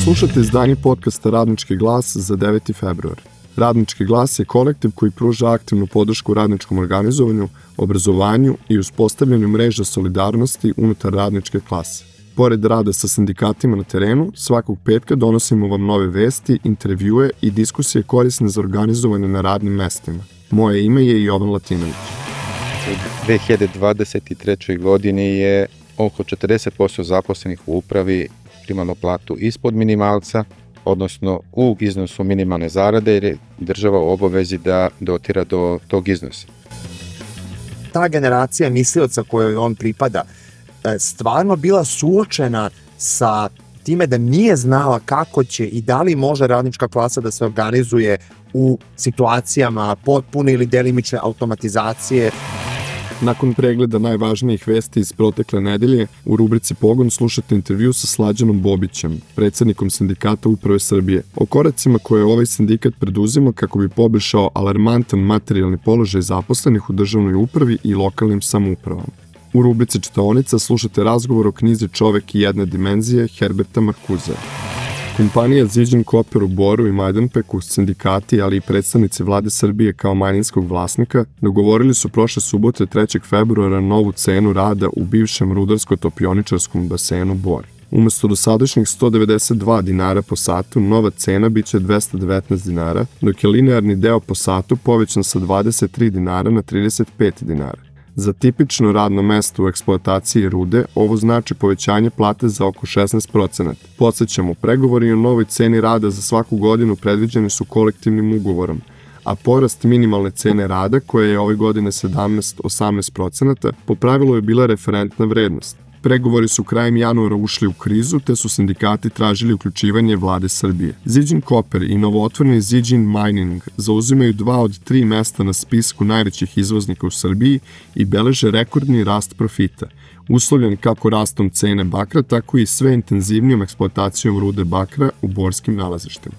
Slušate izdanje podcasta Radnički glas za 9. februar. Radnički glas je kolektiv koji pruža aktivnu podršku radničkom organizovanju, obrazovanju i uspostavljanju mreža solidarnosti unutar radničke klase. Pored rada sa sindikatima na terenu, svakog petka donosimo vam nove vesti, intervjue i diskusije korisne za organizovanje na radnim mestima. Moje ime je Jovan Latinović. U 2023. godini je oko 40% zaposlenih u upravi primalo platu ispod minimalca, odnosno u iznosu minimalne zarade, jer je država u obavezi da dotira do tog iznosa. Ta generacija mislioca kojoj on pripada stvarno bila suočena sa time da nije znala kako će i da li može radnička klasa da se organizuje u situacijama potpune ili delimične automatizacije. Nakon pregleda najvažnijih vesti iz protekle nedelje, u rubrici Pogon slušate intervju sa Slađanom Bobićem, predsjednikom sindikata Uprave Srbije, o koracima koje ovaj sindikat preduzima kako bi poboljšao alarmantan materijalni položaj zaposlenih u državnoj upravi i lokalnim samoupravama. U rubrici Čitaonica slušate razgovor o knjizi Čovek i jedne dimenzije Herberta Marcusea. Kompanija Ziđin Koper u Boru i Majdanpeku, sindikati, ali i predstavnici vlade Srbije kao manjinskog vlasnika, dogovorili su prošle subote 3. februara novu cenu rada u bivšem rudarsko-topioničarskom basenu Bor. Umesto dosadašnjih 192 dinara po satu, nova cena biće 219 dinara, dok je linearni deo po satu povećan sa 23 dinara na 35 dinara. Za tipično radno mesto u eksploataciji rude, ovo znači povećanje plate za oko 16%. Podsjećamo, pregovori o novoj ceni rada za svaku godinu predviđeni su kolektivnim ugovorom, a porast minimalne cene rada, koja je ove godine 17-18%, po pravilu je bila referentna vrednost. Pregovori su krajem januara ušli u krizu, te su sindikati tražili uključivanje vlade Srbije. Ziđin Koper i novootvoreni Ziđin Mining zauzimaju 2 od 3 mesta na spisku najvećih izvoznika u Srbiji i beleže rekordni rast profita, uslovljen kako rastom cene bakra, tako i sve intenzivnijom eksploatacijom rude bakra u borskim nalazištima.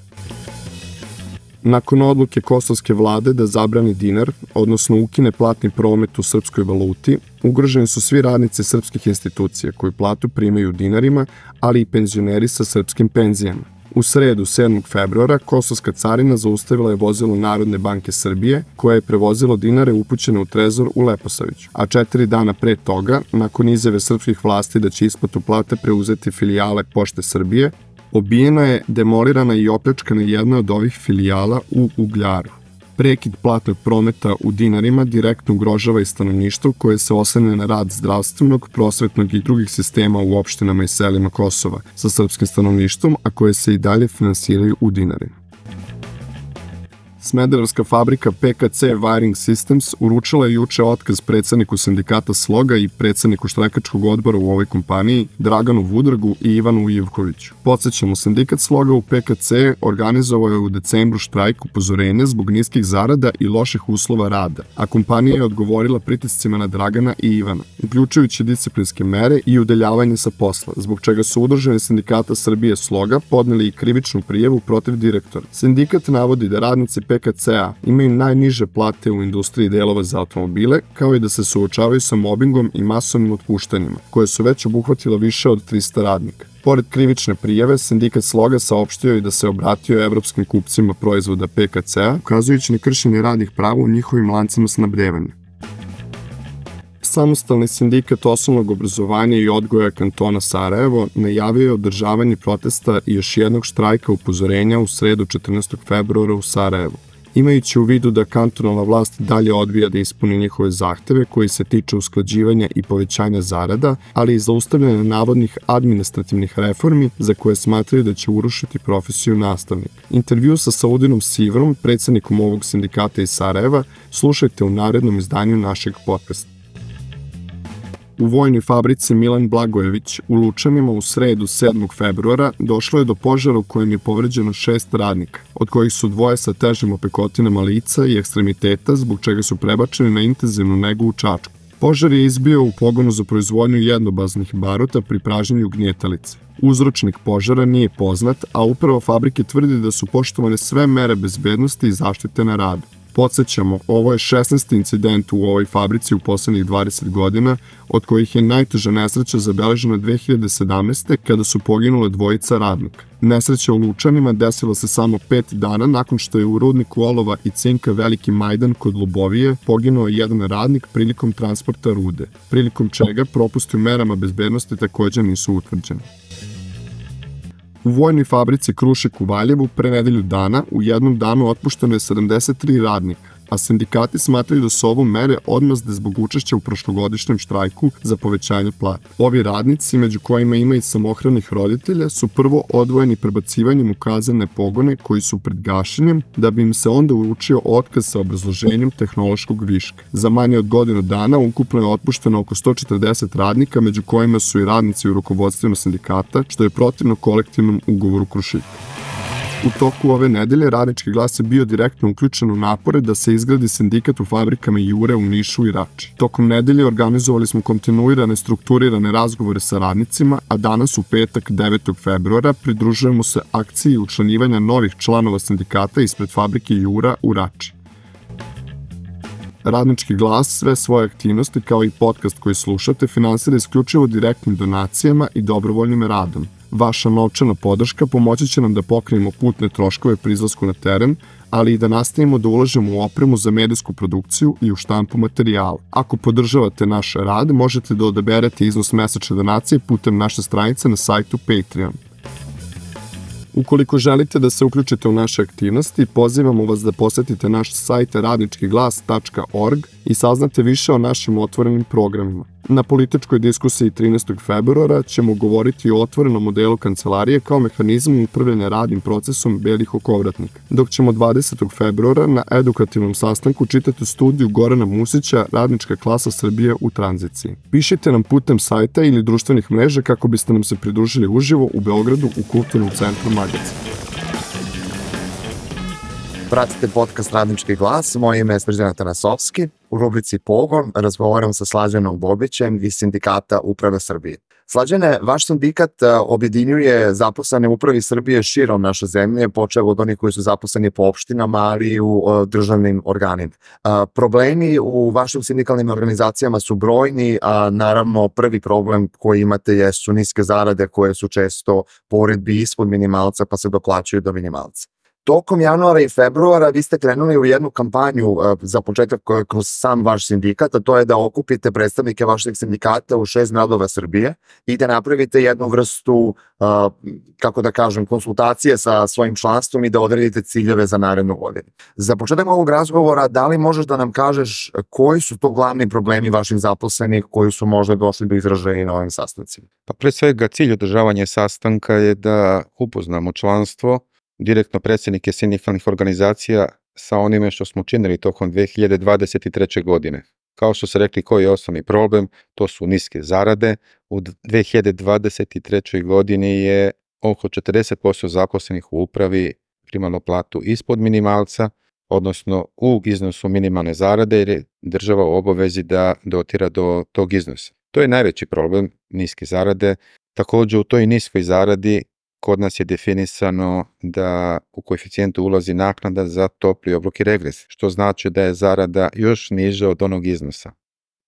Nakon odluke kosovske vlade da zabrani dinar, odnosno ukine platni promet u srpskoj valuti, ugroženi su svi radnici srpskih institucija koji platu primaju u dinarima, ali i penzioneri sa srpskim penzijama. U sredu, 7. februara, kosovska carina zaustavila je vozilo Narodne banke Srbije, koje je prevozilo dinare upućene u trezor u Leposaviću, a 4 dana pre toga, nakon izjave srpskih vlasti da će isplatu plate preuzeti filijale Pošte Srbije, obijena je, demolirana i opljačkana jedna od ovih filijala u Ugljaru. Prekid platnog prometa u dinarima direktno ugrožava i stanovništvo koje se oslanja na rad zdravstvenog, prosvetnog i drugih sistema u opštinama i selima Kosova sa srpskim stanovništvom, a koje se i dalje finansiraju u dinarima. Smederevska fabrika PKC Wiring Systems uručila je juče otkaz predsedniku sindikata Sloga i predsedniku štrajkačkog odbora u ovoj kompaniji Draganu Vudragu i Ivanu Ivkoviću. Podsjećamo, sindikat Sloga u PKC organizovao je u decembru štrajk upozorenja zbog niskih zarada i loših uslova rada, a kompanija je odgovorila pritiscima na Dragana i Ivana, uključujući disciplinske mere i udaljavanje sa posla, zbog čega su udruženi sindikata Srbije Sloga podneli i krivičnu prijavu protiv direktora. Sindikat navodi da radnici PKC-a imaju najniže plate u industriji delova za automobile, kao i da se suočavaju sa mobingom i masovnim otpuštanjima, koje su već obuhvatilo više od 300 radnika. Pored krivične prijave, sindikat Sloga saopštio i da se obratio evropskim kupcima proizvoda PKC-a, ukazujući na kršenje radnih prava u njihovim lancima snabdevanja. Samostalni sindikat osnovnog obrazovanja i odgoja kantona Sarajevo najavio je održavanje protesta i još jednog štrajka upozorenja u sredu 14. februara u Sarajevu. Imajući u vidu da kantonalna vlast dalje odbija da ispuni njihove zahteve koji se tiču usklađivanja i povećanja zarada, ali i zaustavljanja navodnih administrativnih reformi za koje smatraju da će urušiti profesiju nastavnika. Intervju sa Saudinom Sivrom, predsjednikom ovog sindikata iz Sarajeva, slušajte u narednom izdanju našeg podcasta. U vojnoj fabrici Milan Blagojević u Lučanima u sredu 7. februara došlo je do požara u kojem je povređeno 6 radnika, od kojih su 2 sa težim opekotinama lica i ekstremiteta, zbog čega su prebačeni na intenzivnu negu u Čačku. Požar je izbio u pogonu za proizvodnju jednobaznih baruta pri pražnjenju gnjetalice. Uzročnik požara nije poznat, a uprava fabrike tvrdi da su poštovane sve mere bezbednosti i zaštite na radu. Podsjećamo, ovo je 16. incident u ovoj fabrici u poslednjih 20 godina, od kojih je najteža nesreća zabeležena 2017. kada su poginule dvojica radnika. Nesreća u Lučanima desila se samo 5 dana nakon što je u rudniku olova i cinka Veliki Majdan kod Lubovije poginuo jedan radnik prilikom transporta rude, prilikom čega propusti u merama bezbednosti takođe nisu utvrđeni. U vojnoj fabrici Krušik u Valjevu pre nedelju dana u jednom danu otpušteno je 73 radnika, a sindikati smatraju da su ovo mere odmazde zbog učešća u prošlogodišnjem štrajku za povećanje plata. Ovi radnici, među kojima ima i samohranih roditelja, su prvo odvojeni prebacivanjem u kazane pogone koji su pred gašenjem, da bi im se onda uručio otkaz sa obrazloženjem tehnološkog viška. Za manje od godinu dana ukupno je otpušteno oko 140 radnika, među kojima su i radnici u rukovodstvima sindikata, što je protivno kolektivnom ugovoru Krušika. U toku ove nedelje Radnički glas je bio direktno uključen u napore da se izgradi sindikat u fabrikama Jure u Nišu i Rači. Tokom nedelje organizovali smo kontinuirane strukturirane razgovore sa radnicima, a danas u petak 9. februara pridružujemo se akciji učlanjivanja novih članova sindikata ispred fabrike Jura u Rači. Radnički glas sve svoje aktivnosti kao i podcast koji slušate finansira isključivo direktnim donacijama i dobrovoljnim radom. Vaša novčana podrška pomoći će nam da pokrijemo putne troškove pri izlasku na teren, ali i da nastavimo da ulažemo u opremu za medijsku produkciju i u štampu materijala. Ako podržavate naš rad, možete da odaberete iznos mesečne donacije putem naše stranice na sajtu Patreon. Ukoliko želite da se uključite u naše aktivnosti, pozivamo vas da posetite naš sajt radničkiglas.org i saznate više o našim otvorenim programima. Na političkoj diskusiji 13. februara ćemo govoriti o otvorenom modelu kancelarije kao mehanizmu upravljanja radnim procesom belih okovratnika, dok ćemo 20. februara na edukativnom sastanku čitati studiju Gorana Musića Radnička klasa Srbije u tranziciji. Pišite nam putem sajta ili društvenih mreža kako biste nam se pridružili uživo u Beogradu u Kulturnom centru Magazin. Pratite podcast Radnički glas, moje ime je Srđan Tanasovski. U rubrici Pogon razgovaram sa Slađanom Bobićem iz Sindikata Uprave Srbije. Slađane, vaš sindikat objedinjuje zaposlene u Upravi Srbije širom naše zemlje, počev od onih koji su zaposleni po opštinama, ali i u državnim organima. Problemi u vašim sindikalnim organizacijama su brojni, a naravno prvi problem koji imate jesu niske zarade koje su često po uredbi ispod minimalca pa se doplaćuju do minimalca. Tokom januara i februara vi ste krenuli u jednu kampanju za početak kroz sam vaš sindikat, a to je da okupite predstavnike vašeg sindikata u 6 gradova Srbije i da napravite jednu vrstu, kako da kažem, konsultacije sa svojim članstvom i da odredite ciljeve za narednu godinu. Za početak ovog razgovora, da li možeš da nam kažeš koji su to glavni problemi vaših zaposlenih koji su možda došli do izražaja na ovim sastancima? Pa pre svega cilj održavanja sastanka je da upoznamo članstvo, direktno predsjednike sindikalnih organizacija sa onime što smo činili tokom 2023. godine. Kao što se rekli, koji je osnovni problem, to su niske zarade. U 2023. godini je oko 40% zaposlenih u upravi primalo platu ispod minimalca, odnosno u iznosu minimalne zarade, jer je država u obavezi da dotira do tog iznosa. To je najveći problem, niske zarade. Također u toj niskoj zaradi kod nas je definisano da u koeficijentu ulazi naknada za topli obrok i regres, što znači da je zarada još niža od onog iznosa.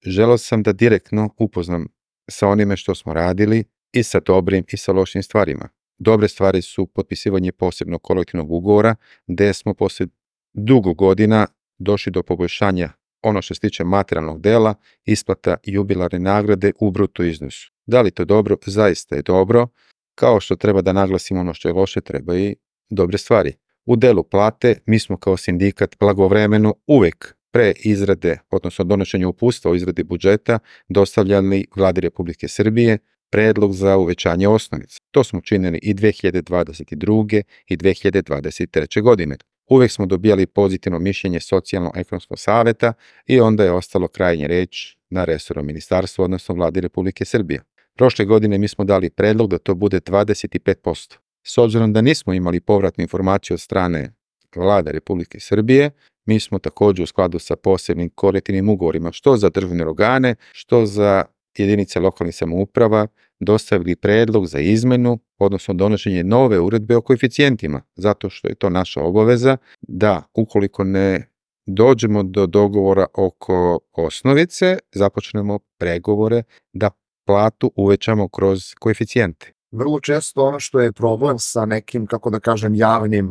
Želeo sam da direktno upoznam sa onime što smo radili i sa dobrim i sa lošim stvarima. Dobre stvari su potpisivanje posebnog kolektivnog ugovora, gde smo posle dugo godina došli do poboljšanja ono što se tiče materijalnog dela, isplata jubilarne nagrade u bruto iznosu. Da li to dobro? Zaista je dobro. Kao što treba da naglasimo ono što je loše, treba i dobre stvari. U delu plate mi smo kao sindikat blagovremeno uvek pre izrade, odnosno donošenja uputstva o izradi budžeta, dostavljali Vladi Republike Srbije predlog za uvećanje osnovice. To smo činili i 2022. i 2023. godine. Uvek smo dobijali pozitivno mišljenje Socijalno-ekonomskog saveta i onda je ostalo krajnje reč na resornom ministarstvu, odnosno Vladi Republike Srbije. Prošle godine mi smo dali predlog da to bude 25%. S obzirom da nismo imali povratnu informaciju od strane Vlade Republike Srbije, mi smo također u skladu sa posebnim kolektivnim ugovorima, što za državne organe, što za jedinice lokalnih samouprava, dostavili predlog za izmenu, odnosno donošenje nove uredbe o koeficijentima, zato što je to naša obaveza da ukoliko ne dođemo do dogovora oko osnovice, započnemo pregovore da platu uvećamo kroz koeficijente. Vrlo često ono što je problem sa nekim, kako da kažem, javnim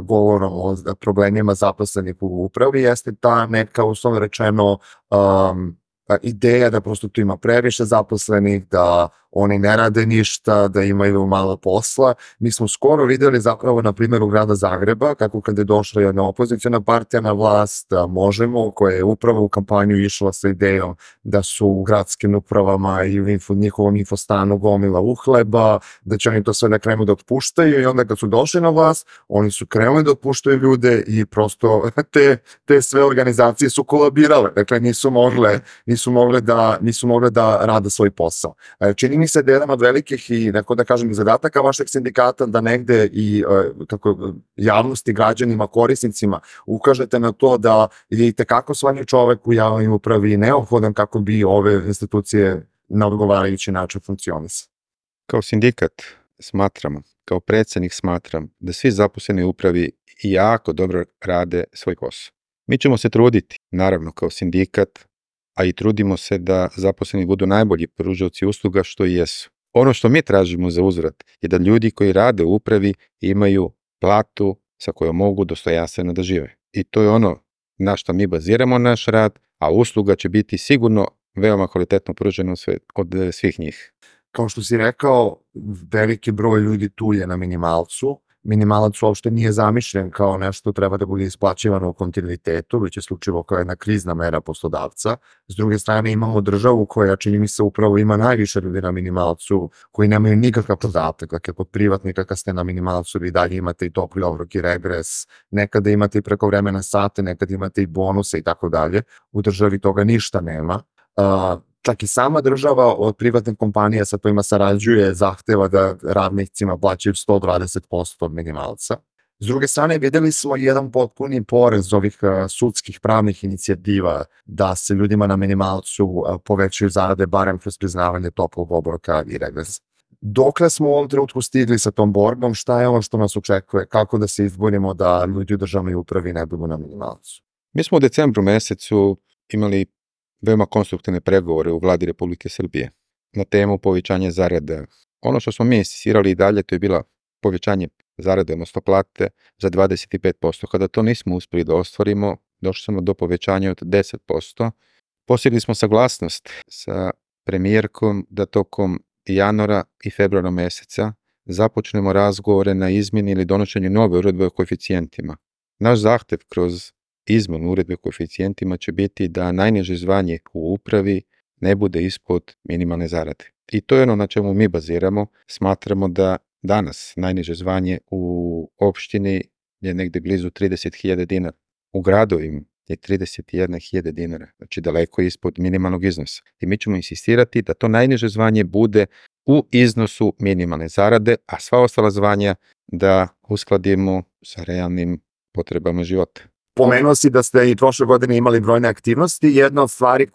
govorom o problemima zaposlenih u upravi jeste ta neka, uslovno rečeno, ideja da prosto tu ima previše zaposlenih, da oni ne rade ništa, da imaju malo posla. Mi smo skoro videli zapravo na primjeru grada Zagreba kako kada je došla jedna opozicijona partija na vlast, Možemo, koja je upravo u kampanju išla sa idejom da su u gradskim upravama i u njihovom infostanu gomila uhleba, da će oni to sve na krenu da otpuštaju i onda kad su došli na vlast, oni su krenuli da otpuštaju ljude i prosto te sve organizacije su kolabirale. Dakle, nisu mogle da rade svoj posao. Čini mi se da je jedan od velikih i neko da kažem zadataka vašeg sindikata da negde i javnosti, građanima, korisnicima ukažete na to da je itekako svaki čovek u javnoj upravi neophodan kako bi ove institucije na odgovarajući način funkcionisale. Kao sindikat smatramo, kao predsednik smatram da svi zaposleni u upravi jako dobro rade svoj posao. Mi ćemo se truditi, naravno kao sindikat, a i trudimo se da zaposleni budu najbolji pružaoci usluga što i jesu. Ono što mi tražimo za uzvrat je da ljudi koji rade u upravi imaju platu sa kojom mogu dostojanstveno da žive. I to je ono na što mi baziramo naš rad, a usluga će biti sigurno veoma kvalitetno pružena od svih njih. Kao što si rekao, veliki broj ljudi tu je na minimalcu. Minimalac uopšte nije zamišljen kao nešto treba da bude isplaćivano u kontinuitetu, već je slučivo kao jedna krizna mera poslodavca. S druge strane imamo državu koja, čini mi se, upravo ima najviše ljudi na minimalcu koji nemaju nikakav podatak. Dakle, kod privatnika kad ste na minimalcu vi dalje imate i topli obrok i regres, nekada imate i prekovremene sate, nekada imate i bonuse i tako dalje. U državi toga ništa nema. Čak i sama država od privatnih kompanija sa kojima sarađuje zahteva da radnicima plaćaju 120% od minimalca. S druge strane, videli smo jedan potpuni porez ovih sudskih pravnih inicijativa da se ljudima na minimalcu povećaju zarade barem kroz priznavanje toplog obroka i regresa. Dokle smo u ovom trenutku stigli sa tom borbom, šta je ono što nas očekuje, kako da se izborimo da ljudi u državnoj upravi ne budu na minimalcu? Mi smo u decembru mesecu imali veoma konstruktivne pregovore u vladi Republike Srbije na temu povećanja zarada. Ono što smo mi insistirali i dalje, to je bila povećanje zarade, odnosno plate za 25%. Kada to nismo uspeli da ostvarimo, došli smo do povećanja od 10%. Postigli smo saglasnost sa premijerkom da tokom januara i februara meseca započnemo razgovore na izmjeni ili donošenju nove uredbe o koeficijentima. Naš zahtev kroz izmenu uredbe o koeficijentima će biti da najniže zvanje u upravi ne bude ispod minimalne zarade. I to je ono na čemu mi baziramo. Smatramo da danas najniže zvanje u opštini je negde blizu 30.000 dinara. U gradovima je 31.000 dinara, znači daleko ispod minimalnog iznosa. I mi ćemo insistirati da to najniže zvanje bude u iznosu minimalne zarade, a sva ostala zvanja da uskladimo sa realnim potrebama života. Pomenuo si da ste i prošle godine imali brojne aktivnosti. Jedna od stvari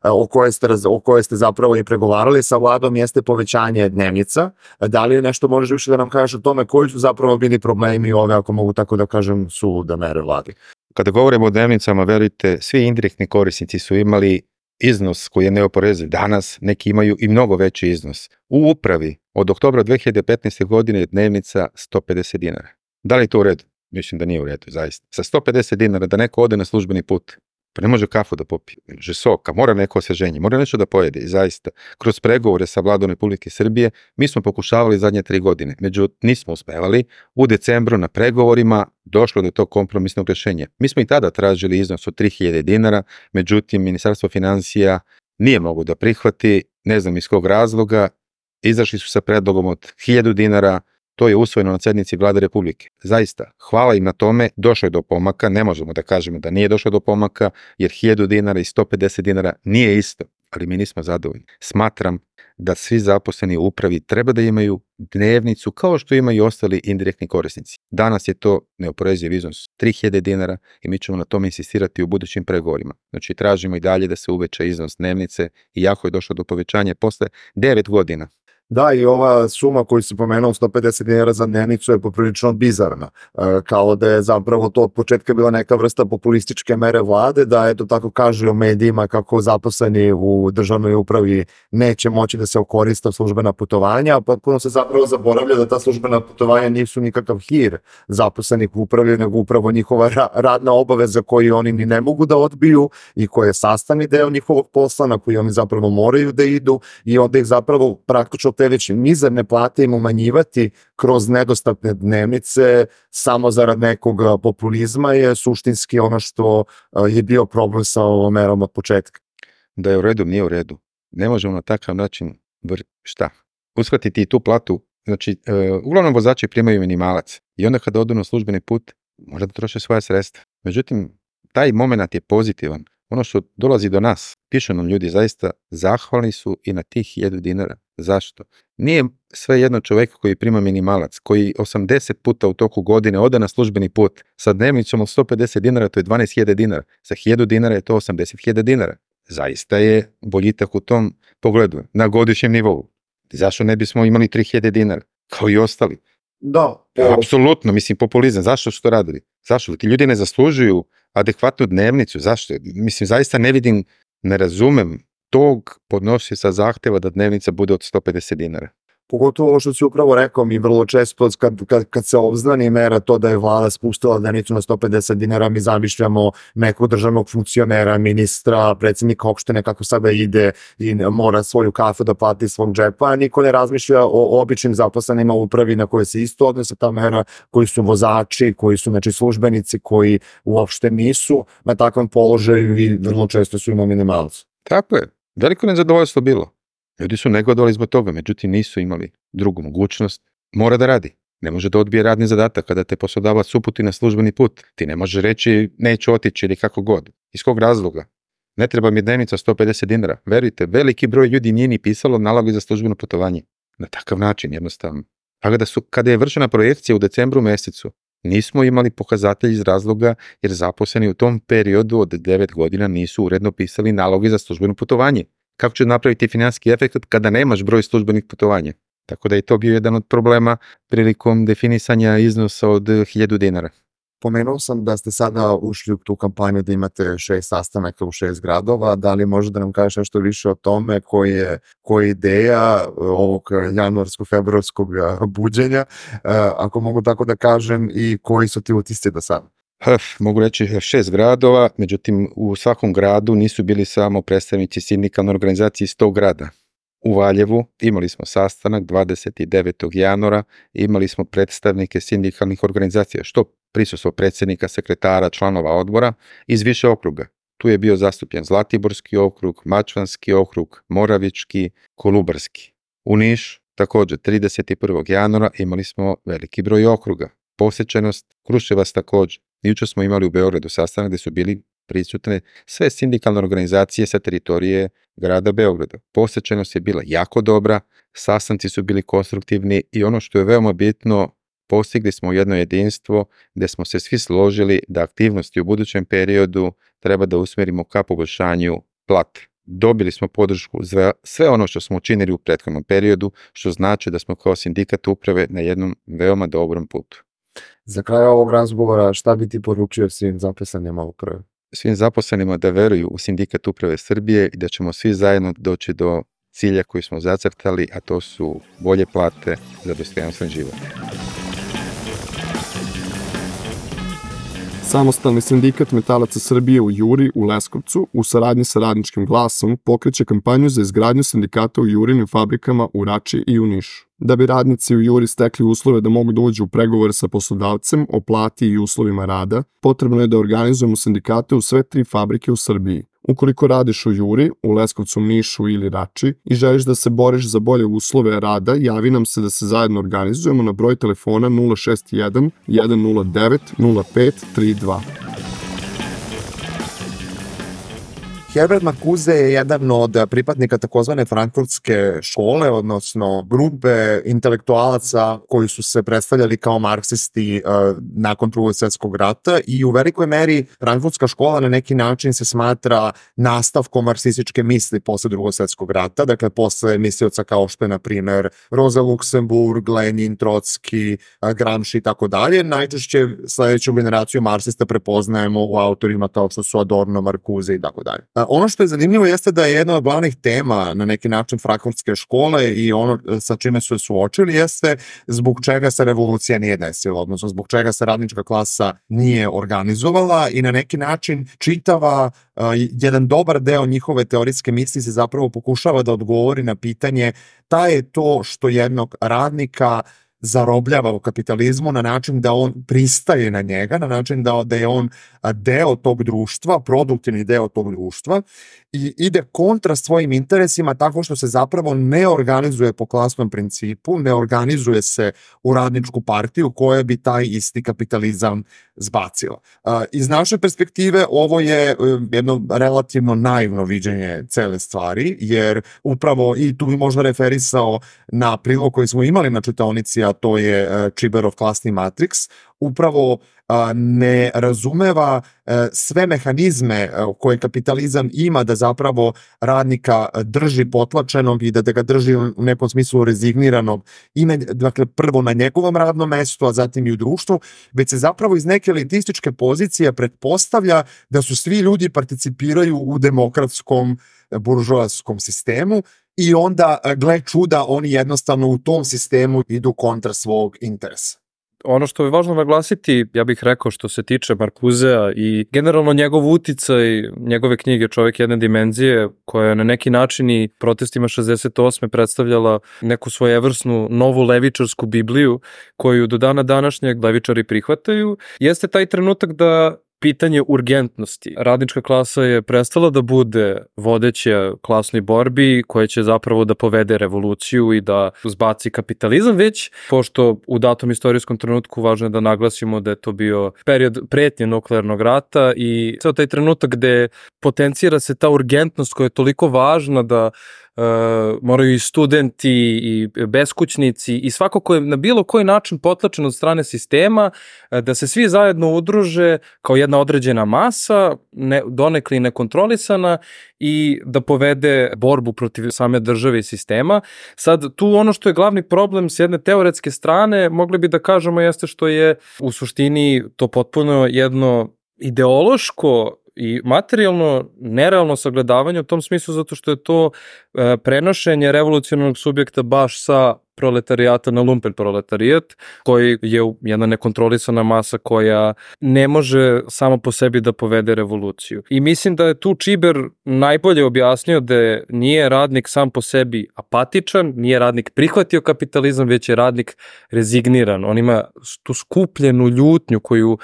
o kojoj ste zapravo i pregovarali sa vladom jeste povećanje dnevnica. Da li nešto možeš više da nam kažeš o tome koji su zapravo bili problemi ove, ako mogu tako da kažem, sulude mere vladi? Kada govorimo o dnevnicama, verujte, svi indirektni korisnici su imali iznos koji je neoporeziv. Danas neki imaju i mnogo veći iznos. U upravi od oktobra 2015. godine je dnevnica 150 dinara. Da li je to u redu? Mislim da nije u redu, zaista. Sa 150 dinara da neko ode na službeni put, pa ne može kafu da popije, ne može soka, mora neko osveženje, mora nešto da pojede. I zaista, kroz pregovore sa vladom Republike Srbije, mi smo pokušavali zadnje 3 godine, međutim nismo uspevali. U decembru na pregovorima došlo do tog kompromisnog rešenja. Mi smo i tada tražili iznos od 3.000 dinara, međutim Ministarstvo finansija nije moglo da prihvati, ne znam iz kog razloga, izašli su sa predlogom od 1.000 dinara. To je usvojeno na sednici Vlade Republike. Zaista, hvala im na tome, došlo je do pomaka, ne možemo da kažemo da nije došlo do pomaka, jer 1.000 dinara i 150 dinara nije isto, ali mi nismo zadovoljni. Smatram da svi zaposleni u upravi treba da imaju dnevnicu kao što imaju i ostali indirektni korisnici. Danas je to neoporeziv iznos 3.000 dinara i mi ćemo na tome insistirati u budućim pregovorima. Znači, tražimo i dalje da se uveća iznos dnevnice, iako je došlo do povećanja posle 9 godina. Da, i ova suma koju si pomenuo, 150 dinara za dnevnicu, je poprilično bizarna. Kao da je zapravo to od početka bila neka vrsta populističke mere vlade, da eto tako kaže u medijima kako zaposleni u državnoj upravi neće moći da se okoriste službena putovanja, a potpuno se zapravo zaboravlja da ta službena putovanja nisu nikakav hir zaposlenih u upravi, nego upravo njihova radna obaveza koju oni ni ne mogu da odbiju i koja je sastavni deo njihovog posla na koji oni zapravo moraju da idu, i onda ih zapravo praktično te već mizerne plate im umanjivati kroz nedostatne dnevnice samo zarad nekog populizma je suštinski ono što je bio problem sa ovom merom od početka. Da je u redu, nije u redu. Ne možemo na takav način uskratiti i tu platu. Znači, uglavnom vozači primaju minimalac i onda kada odu na službeni put možda da troše svoje sredstva. Međutim, taj moment je pozitivan. Ono što dolazi do nas, pišu nam ljudi, zaista zahvalni su i na tih 1000 dinara. Zašto? Nije sve jedno čovjek koji prima minimalac, koji 80 puta u toku godine ode na službeni put sa dnevnicom od 150 dinara, to je 12.000 dinara. Sa 1000 dinara je to 80.000 dinara. Zaista je boljitak u tom pogledu, na godišnjem nivou. Zašto ne bismo imali 3000 dinara, kao i ostali? Da. Apsolutno, mislim, populizam. Zašto su to radili? Zašto? Ti ljudi ne zaslužuju adekvatnu dnevnicu. Zašto? Mislim, zaista ne vidim, ne razumem tog podnosioca zahteva da dnevnica bude od 150 dinara. Pogotovo ovo što si upravo rekao, mi vrlo često kad se obznani mera to da je vlada spustila dnevnicu na 150 dinara, mi zamišljamo nekog državnog funkcionera, ministra, predsjednika opštine kako sada ide i mora svoju kafu da plati iz svog džepa, a niko ne razmišlja o običnim zaposlenima u upravi na koje se isto odnose ta mera, koji su vozači, koji su službenici, koji uopšte nisu na takvom položaju i vrlo često su imali minimalcu. Tako je. Veliko nezadovoljstvo bilo. Ljudi su negodovali zbog toga, međutim nisu imali drugu mogućnost. Mora da radi. Ne može da odbije radni zadatak kada te poslodavac uputi na službeni put. Ti ne može reći neću otići ili kako god. Iz kog razloga? Ne treba mi dnevnica 150 dinara. Verujte, veliki broj ljudi nije ni pisalo naloge za službeno putovanje. Na takav način, jednostavno. Pa kada je vršena projekcija u decembru mesecu, nismo imali pokazatelj iz razloga jer zaposleni u tom periodu od 9 godina nisu uredno pisali naloge za službeno putovanje. Kako će napraviti finansijski efekt kada nemaš broj službenih putovanja? Tako da je to bio jedan od problema prilikom definisanja iznosa od 1000 dinara. Pomenuo sam da ste sada ušli u tu kampanju da imate 6 sastanaka u 6 gradova. Da li može da nam kažeš nešto više o tome koja je ideja ovog januarsko-februarskog buđenja, ako mogu tako da kažem, i koji su ti utisci do sada? Mogu reći 6 gradova, međutim u svakom gradu nisu bili samo predstavnici sindikalne organizacije iz tog grada. U Valjevu imali smo sastanak 29. januara, imali smo predstavnike sindikalnih organizacija, što prisustvo predsjednika, sekretara, članova odbora iz više okruga. Tu je bio zastupljen Zlatiborski okrug, Mačvanski okrug, Moravički, Kolubarski. U Nišu također 31. januara imali smo veliki broj okruga. Posjećenost Kruševac također. Jučer smo imali u Beogradu sastanak gdje su bili prisutne sve sindikalne organizacije sa teritorije grada Beograda. Posjećenost je bila jako dobra, sastanci su bili konstruktivni i ono što je veoma bitno, postigli smo jedno jedinstvo gdje smo se svi složili da aktivnosti u budućem periodu treba da usmjerimo ka poboljšanju plate. Dobili smo podršku za sve ono što smo učinili u prethodnom periodu, što znači da smo kao sindikat uprave na jednom veoma dobrom putu. Za kraj ovog razgovora, šta bi ti poručio svim zaposlenima uprave? Svim zaposlenima da veruju u sindikat uprave Srbije i da ćemo svi zajedno doći do cilja koji smo zacrtali, a to su bolje plate za dostojanstven život. Samostalni sindikat metalaca Srbije u Juri u Leskovcu u saradnji sa Radničkim glasom pokreće kampanju za izgradnju sindikata u Jurinim fabrikama u Rači i u Nišu. Da bi radnici u Juri stekli uslove da mogu da uđu u pregovore sa poslodavcem o plati i uslovima rada, potrebno je da organizujemo sindikate u sve 3 fabrike u Srbiji. Ukoliko radiš u Juri, u Leskovcu, Nišu ili Rači i želiš da se boriš za bolje uslove rada, javi nam se da se zajedno organizujemo na broj telefona 061 109 0532. Herbert Marcuse je jedan od pripadnika takozvane frankfurtske škole, odnosno grupe intelektualaca koji su se predstavljali kao marksisti nakon Drugog svjetskog rata i u velikoj meri frankfurtska škola na neki način se smatra nastavkom marksističke misli posle Drugog svjetskog rata, dakle posle mislioca kao što je na primer Rosa Luxemburg, Lenin, Trotski, Gramsci i tako dalje. Najčešće sledeću generaciju marksista prepoznajemo u autorima kao što su Adorno, Marcuse i tako dalje. Ono što je zanimljivo jeste da je jedna od glavnih tema na neki način frankfurtske škole i ono sa čime su se suočili jeste zbog čega se revolucija nije desila, odnosno zbog čega se radnička klasa nije organizovala i na neki način čitava jedan dobar deo njihove teorijske misli se zapravo pokušava da odgovori na pitanje šta je to što jednog radnika zarobljava u kapitalizmu na način da on pristaje na njega, na način da je on deo tog društva, produktivni deo tog društva i ide kontra svojim interesima tako što se zapravo ne organizuje po klasnom principu, ne organizuje se u radničku partiju koja bi taj isti kapitalizam zbacila. Iz naše perspektive ovo je jedno relativno naivno viđenje cele stvari, jer upravo i tu bi možda referisao na prilog koji smo imali na čitaonici, a to je Čiberov klasni matriks, upravo ne razumeva sve mehanizme koje kapitalizam ima da zapravo radnika drži potlačenog i da ga drži u nekom smislu rezigniranog i dakle prvo na njegovom radnom mestu, a zatim i u društvu, već se zapravo iz neke elitističke pozicije pretpostavlja da su svi ljudi participiraju u demokratskom buržoaskom sistemu i onda, gle čuda, oni jednostavno u tom sistemu idu kontra svog interesa. Ono što je važno naglasiti, ja bih rekao što se tiče Marcusea i generalno njegov uticaj, njegove knjige Čovjek jedne dimenzije, koja je na neki način i protestima 68. predstavljala neku svojevrsnu novu levičarsku Bibliju, koju do dana današnjeg levičari prihvataju, jeste taj trenutak da pitanje urgentnosti. Radnička klasa je prestala da bude vodeća klasnoj borbi koja će zapravo da povede revoluciju i da zbaci kapitalizam, već pošto u datom istorijskom trenutku važno je da naglasimo da je to bio period pretnje nuklearnog rata i ceo taj trenutak gde potencira se ta urgentnost koja je toliko važna da moraju i studenti i beskućnici i svako ko je na bilo koji način potlačen od strane sistema, da se svi zajedno udruže kao jedna određena masa, donekli nekontrolisana i da povede borbu protiv same države i sistema. Sad, tu ono što je glavni problem s jedne teoretske strane, mogli bi da kažemo jeste što je u suštini to potpuno jedno ideološko i materijalno nerealno sagledavanje u tom smislu zato što je to prenošenje revolucionarnog subjekta baš sa proletarijata na lumpen proletarijat, koji je jedna nekontrolisana masa koja ne može samo po sebi da povede revoluciju. I mislim da je tu Čiber najbolje objasnio da nije radnik sam po sebi apatičan, nije radnik prihvatio kapitalizam, već je radnik rezigniran. On ima tu skupljenu ljutnju koju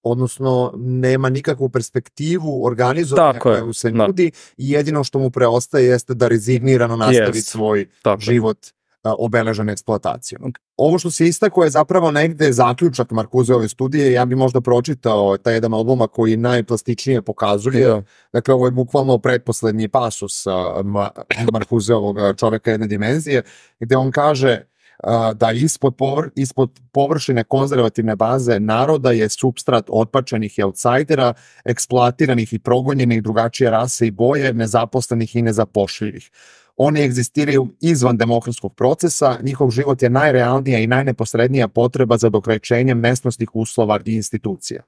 odnosno nema nikakvu perspektivu organizovanja koju se nudi i jedino što mu preostaje jeste da rezignirano nastavi svoj život obeležen eksploatacijom. Ovo što se istako je zapravo negde zaključak Marcuseove studije, ja bi možda pročitao taj jedan odlomak koji najplastičnije pokazuje, dakle ovo je bukvalno pretposlednji pasus Marcuseovog Čovjeka jedne dimenzije, gde on kaže da ispod površine konzervativne baze naroda je supstrat otpačenih i outsidera, eksploatiranih i progonjenih drugačije rase i boje, nezaposlenih i nezapošljivih. Oni egzistiraju izvan demokratskog procesa, njihov život je najrealnija i najneposrednija potreba za dokrećenjem mesnosnih uslova i institucija.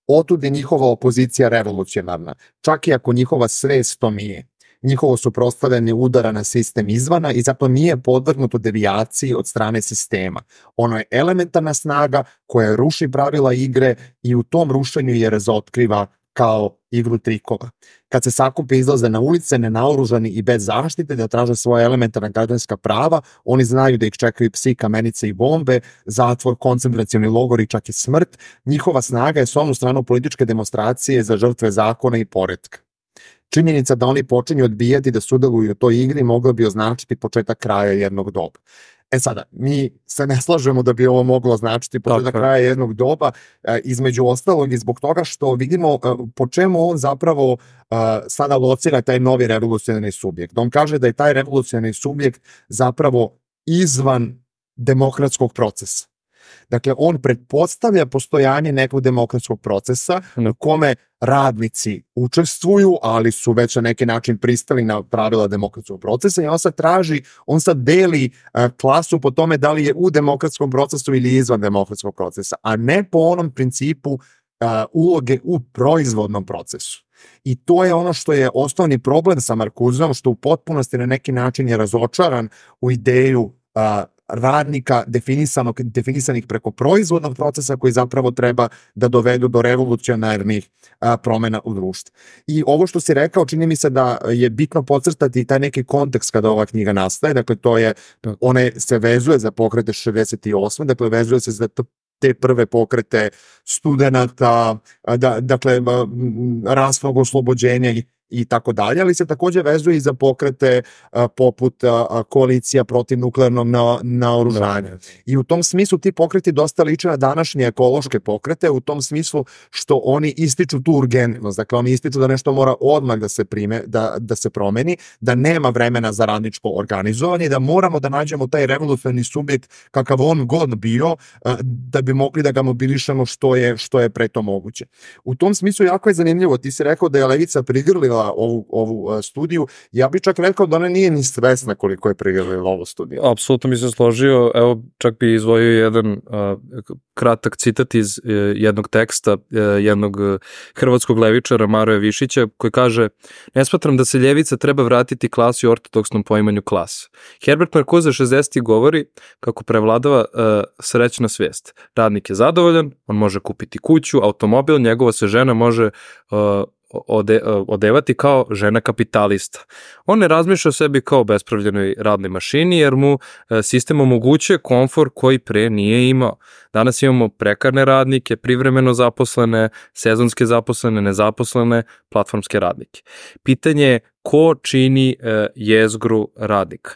Otud je njihova opozicija revolucionarna, čak i ako njihova svest to nije. Njihovo suprotstavljanje udara na sistem izvana i zato nije podvrgnuto devijaciji od strane sistema. Ono je elementarna snaga koja ruši pravila igre i u tom rušenju je razotkriva kao igru trikova. Kad se sakupe izlaze na ulice, nenaoružani i bez zaštite da traže svoje elementarna građanska prava, oni znaju da ih čekaju psi, kamenice i bombe, zatvor, koncentracioni logor i čak i smrt. Njihova snaga je s onu stranu političke demonstracije za žrtve zakona i poretka. Činjenica da oni počinju odbijati da sudjeluju u toj igri mogla bi označiti početak kraja jednog doba. Sada, mi se ne slažemo da bi ovo moglo značiti početak kraja jednog doba, između ostalog i zbog toga što vidimo po čemu on zapravo sada locira taj novi revolucionarni subjekt. On kaže da je taj revolucionarni subjekt zapravo izvan demokratskog procesa. Dakle, on pretpostavlja postojanje nekog demokratskog procesa u kome radnici učestvuju, ali su već na neki način pristali na pravila demokratskog procesa i on sad deli klasu po tome da li je u demokratskom procesu ili izvan demokratskog procesa, a ne po onom principu uloge u proizvodnom procesu. I to je ono što je osnovni problem sa Marcuseom, što u potpunosti na neki način je razočaran u ideju radnika definisanih preko proizvodnog procesa koji zapravo treba da dovedu do revolucionarnih promena u društvu. I ovo što si rekao, čini mi se da je bitno podcrtati taj neki kontekst kada ova knjiga nastaje, dakle to je, one se vezuje za pokrete 68, dakle vezuje se za te prve pokrete studenata, dakle rasnog oslobođenja i tako dalje, ali se takođe vezuje i za pokrete poput koalicija protiv nuklearnog naoružanja. I u tom smislu ti pokreti dosta liče na današnje ekološke pokrete, u tom smislu što oni ističu tu urgentnost, dakle oni ističu da nešto mora odmah da se promeni, da nema vremena za radničko organizovanje, da moramo da nađemo taj revolucionarni subjekt kakav on god bio, da bi mogli da ga mobilišemo što je pre to moguće. U tom smislu jako je zanimljivo, ti si rekao da je levica prigrlila ovu studiju, ja bih čak rekao da ona nije ni svesna koliko je prigrlila ovu studiju. Apsolutno mi se složio, evo čak bi izdvojio jedan kratak citat iz jednog teksta jednog hrvatskog levičara Maroja Višića koji kaže: ne smatram da se ljevica treba vratiti klasi u ortodoksnom poimanju klasa. Herbert Marcuse 60. govori kako prevladava srećna svijest. Radnik je zadovoljan, on može kupiti kuću, automobil, njegova se žena može odevati kao žena kapitalista. On ne razmišlja o sebi kao bespravljenoj radnoj mašini jer mu sistem omogućuje komfor koji pre nije imao. Danas imamo prekarne radnike, privremeno zaposlene, sezonske zaposlene, nezaposlene, platformske radnike. Pitanje je ko čini jezgru radnika.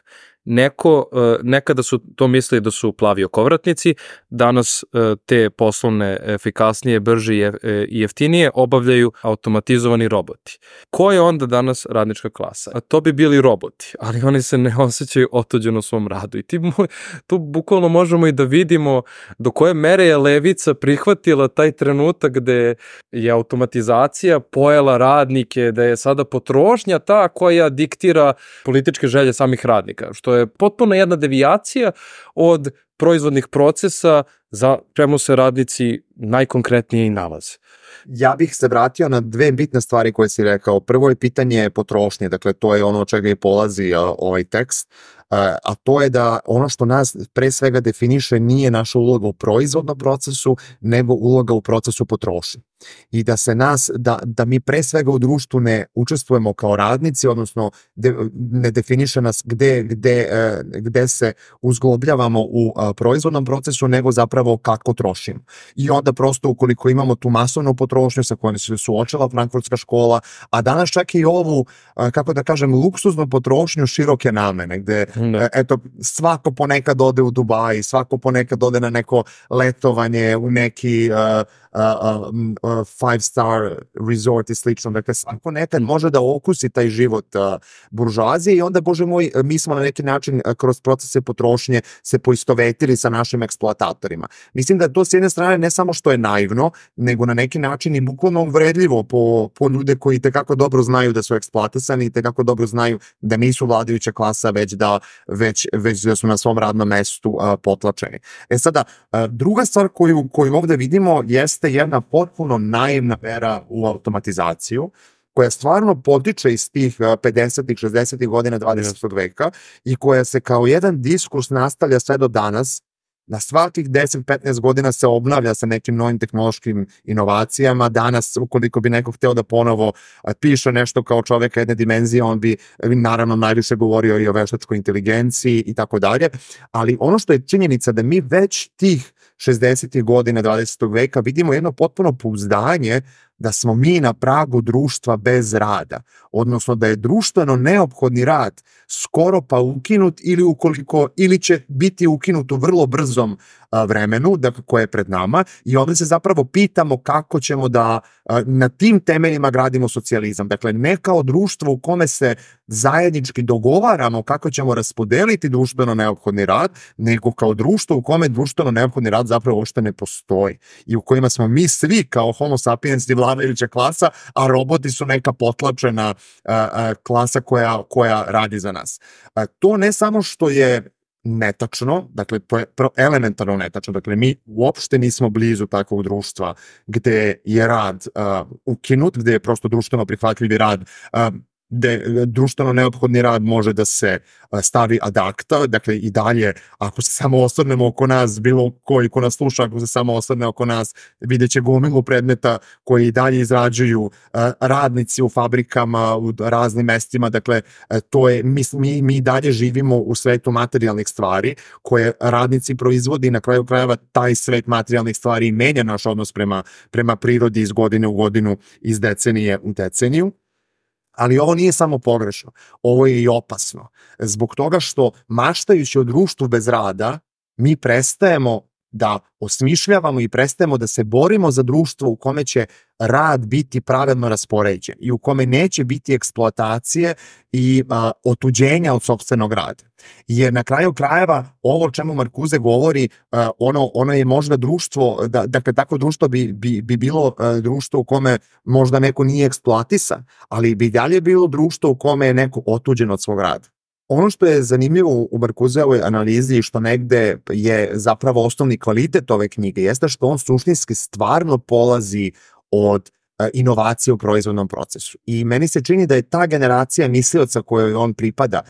Nekada su to mislili da su plavi okovratnici, danas te poslovne efikasnije, brže i jeftinije obavljaju automatizovani roboti. Ko je onda danas radnička klasa? A to bi bili roboti, ali oni se ne osjećaju otuđeno u svom radu. I tu bukvalno možemo i da vidimo do koje mere je levica prihvatila taj trenutak gde je automatizacija pojela radnike, da je sada potrošnja ta koja diktira političke želje samih radnika, što je potpuno jedna devijacija od proizvodnih procesa za čemu se radnici najkonkretnije i nalaze. Ja bih se vratio na dve bitne stvari koje si rekao. Prvo je pitanje potrošnje, dakle to je ono od čega i polazi ovaj tekst, a to je da ono što nas pre svega definiše nije naša uloga u proizvodnom procesu, nego uloga u procesu potrošnje. I da mi pre svega u društvu ne učestvujemo kao radnici, odnosno ne definiše nas gde se uzglobljavamo u proizvodnom procesu, nego zapravo kako trošimo. I onda prosto ukoliko imamo tu masovnu potrošnju sa kojom se suočila Frankfurtska škola, a danas čak i ovu, kako da kažem, luksuznu potrošnju široke namene, gde eto, svako ponekad ode u Dubai, svako ponekad ode na neko letovanje u neki 5-star resort i slično. Dakle, svako nekad može da okusi taj život buržoazije i onda, bože moj, mi smo na neki način kroz procese potrošnje se poistovetili sa našim eksploatatorima. Mislim da to s jedne strane ne samo što je naivno, nego na neki način i bukvalno uvredljivo po ljude koji tekako dobro znaju da su eksploatisani i tekako dobro znaju da nisu vladajuća klasa, već da su na svom radnom mestu potlačeni. Sada, druga stvar koju ovde vidimo jeste jedna potpuno naivna vera u automatizaciju, koja stvarno potiče iz tih 50-ih, 60-ih godina 20. veka i koja se kao jedan diskurs nastavlja sve do danas. Na svakih 10-15 godina se obnavlja sa nekim novim tehnološkim inovacijama. Danas, ukoliko bi neko hteo da ponovo piše nešto kao čoveka jedne dimenzije, on bi naravno najviše govorio i o veštačkoj inteligenciji i tako dalje. Ali ono što je činjenica da mi već tih 60. godina 20. veka vidimo jedno potpuno pouzdanje da smo mi na pragu društva bez rada, odnosno da je društveno neophodni rad skoro pa ukinut ili će biti ukinut u vrlo brzom vremenu koje je pred nama, i onda se zapravo pitamo kako ćemo da na tim temeljima gradimo socijalizam. Dakle, ne kao društvo u kome se zajednički dogovaramo kako ćemo raspodeliti društveno neophodni rad, nego kao društvo u kome društveno neophodni rad zapravo uopšte ne postoji i u kojima smo mi svi kao homo sapiens i vladajuća klasa, a roboti su neka potlačena klasa koja radi za nas. To ne samo što je netačno, dakle to je elementarno netačno, dakle mi uopšte nismo blizu takvog društva gde je rad ukinut, gde je prosto društveno prihvatljivi rad, gde društveno neophodni rad može da se stavi ad acta, dakle i dalje ako se samo osvrnemo oko nas, bilo koji ko nas sluša, ako se samo osvrne oko nas, vidjet će gomilu predmeta koji i dalje izrađuju radnici u fabrikama, u raznim mestima, dakle to je, mi dalje živimo u svetu materijalnih stvari koje radnici proizvodi i na kraju krajeva taj svet materijalnih stvari menja naš odnos prema prirodi iz godine u godinu, iz decenije u deceniju. Ali ovo nije samo pogrešno, ovo je i opasno. Zbog toga što maštajući o društvu bez rada, mi prestajemo da osmišljavamo i prestajemo da se borimo za društvo u kome će rad biti pravedno raspoređen i u kome neće biti eksploatacije i otuđenja od sopstvenog rada. Jer na kraju krajeva ovo o čemu Marcuse govori, ono je možda društvo, dakle takvo društvo bi bilo društvo u kome možda neko nije eksploatisan, ali bi dalje bilo društvo u kome je neko otuđen od svog rada. Ono što je zanimljivo u Marcuseovoj analizi i što negde je zapravo osnovni kvalitet ove knjige jeste što on suštinski stvarno polazi od inovacije u proizvodnom procesu. I meni se čini da je ta generacija mislioca kojoj on pripada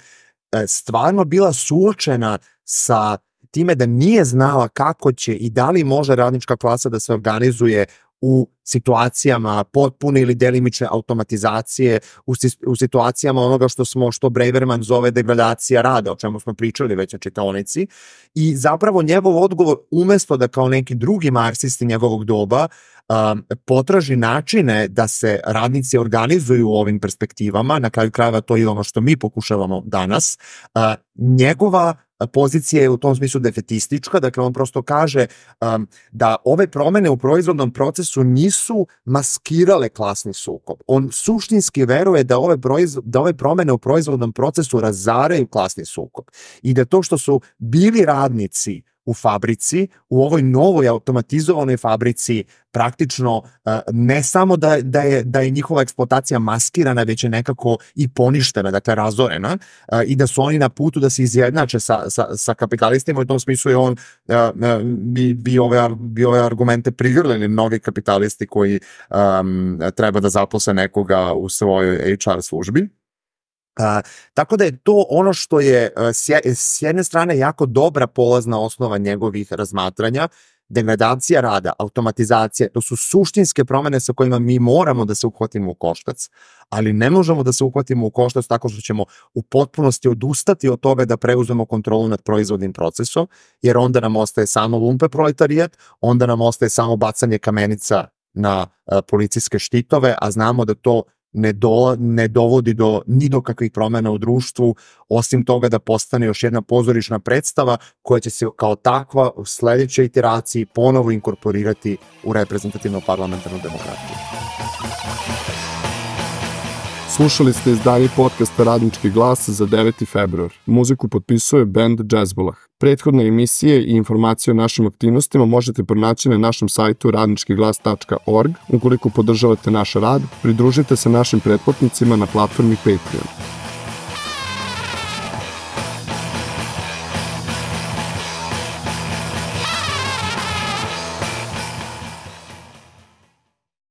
stvarno bila suočena sa time da nije znala kako će i da li može radnička klasa da se organizuje u situacijama potpune ili delimične automatizacije, u situacijama onoga što Braverman zove degradacija rada, o čemu smo pričali već na čitaonici, i zapravo njegov odgovor, umesto da kao neki drugi marksisti njegovog doba potraži načine da se radnici organizuju u ovim perspektivama, na kraju krajeva to je ono što mi pokušavamo danas, njegova pozicija je u tom smislu defetistička, dakle on prosto kaže da ove promene u proizvodnom procesu nisu maskirale klasni sukob. On suštinski veruje da ove promene u proizvodnom procesu razaraju klasni sukob i da to što su bili radnici u fabrici, u ovoj novoj automatizovanoj fabrici praktično ne samo da je njihova eksploatacija maskirana, već je nekako i poništena, dakle razorena, i da su oni na putu da se izjednače sa kapitalistima. U tom smislu je on bi ove argumente prigrlili mnogi kapitalisti koji treba da zaposle nekoga u svojoj HR službi. Tako da je to ono što je s jedne strane jako dobra polazna osnova njegovih razmatranja. Degradacija rada, automatizacija, to su suštinske promene sa kojima mi moramo da se uhvatimo u koštac, ali ne možemo da se uhvatimo u koštac tako što ćemo u potpunosti odustati od toga da preuzmemo kontrolu nad proizvodnim procesom, jer onda nam ostaje samo lumpe proletarijat, onda nam ostaje samo bacanje kamenica na policijske štitove, a znamo da to ne dovodi ni do kakvih promena u društvu, osim toga da postane još jedna pozorišna predstava koja će se kao takva u sledećoj iteraciji ponovo inkorporirati u reprezentativnu parlamentarnu demokratiju. Slušali ste izdanje podcasta Radnički glas za 9. februar. Muziku potpisuje band Jazzbolah. Prethodne emisije i informacije o našim aktivnostima možete pronaći na našem sajtu radničkiglas.org. Ukoliko podržavate naš rad, pridružite se našim pretplatnicima na platformi Patreon.